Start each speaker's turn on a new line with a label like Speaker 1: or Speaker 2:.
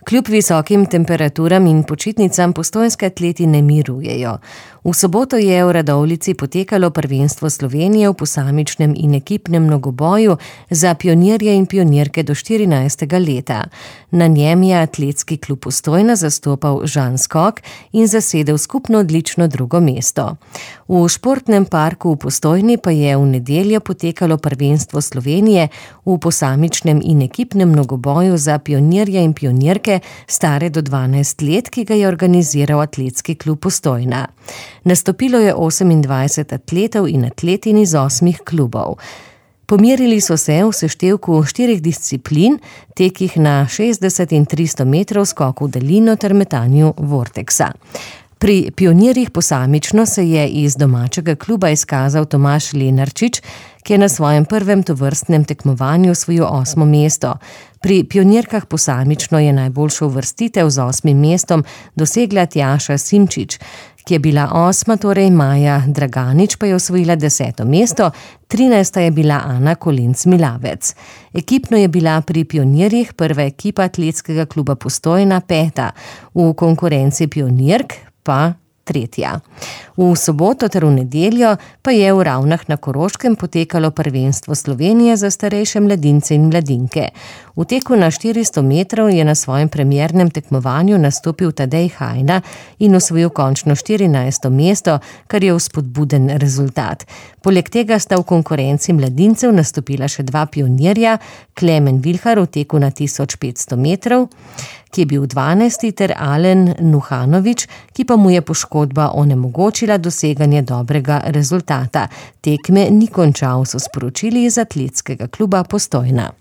Speaker 1: Kljub visokim temperaturam in počitnicam postojnski atleti ne mirujejo. V soboto je v Radovljici potekalo prvenstvo Slovenije v posamičnem in ekipnem mnogoboju za pionirje in pionirke do 14. leta. Na njem je atletski klub Postojna zastopal Žan Skok in zasedel skupno odlično drugo mesto. V športnem parku v Postojni pa je v nedeljo potekalo prvenstvo Slovenije v posamičnem in ekipnem mnogoboju za pionirje in pionirke stare do 12 let, ki ga je organiziral atletski klub Postojna. Nastopilo je 28 atletov in atletin iz 8 klubov. Pomerili so se v seštevku 4 disciplin, tekih na 60 in 300 metrov, skoku v daljino ter metanju vorteksa. Pri pionirjih posamično se je iz domačega kluba izkazal Tomaž Lenarčič, ki je na svojem prvem tovrstnem tekmovanju osvojil 8. mesto. Pri pionirkah posamično je najboljšo uvrstitev z 8. mestom dosegla Tjaša Simčič, ki je bila 8., torej Maja Draganič pa je osvojila 10. mesto, 13. je bila Ana Kolenc-Milavec. Ekipno je bila pri pionirjih prva ekipa atletskega kluba Postojna 5., v konkurenci pionirk pa 3. V soboto ter v nedeljo pa je v Ravnah na Koroškem potekalo prvenstvo Slovenije za starejše mladince in mladinke. V teku na 400 metrov je na svojem premiernem tekmovanju nastopil Tadej Hajna in osvojil končno 14. mesto, kar je vzpodbuden rezultat. Poleg tega sta v konkurenci mladincev nastopila še 2 pionirja, Klemen Vilhar v teku na 1500 metrov, ki je bil 12. ter Alen Nuhanovič, ki pa mu je poškodba onemogočila doseganje dobrega rezultata. Tekme ni končal, so sporočili iz atletskega kluba Postojna.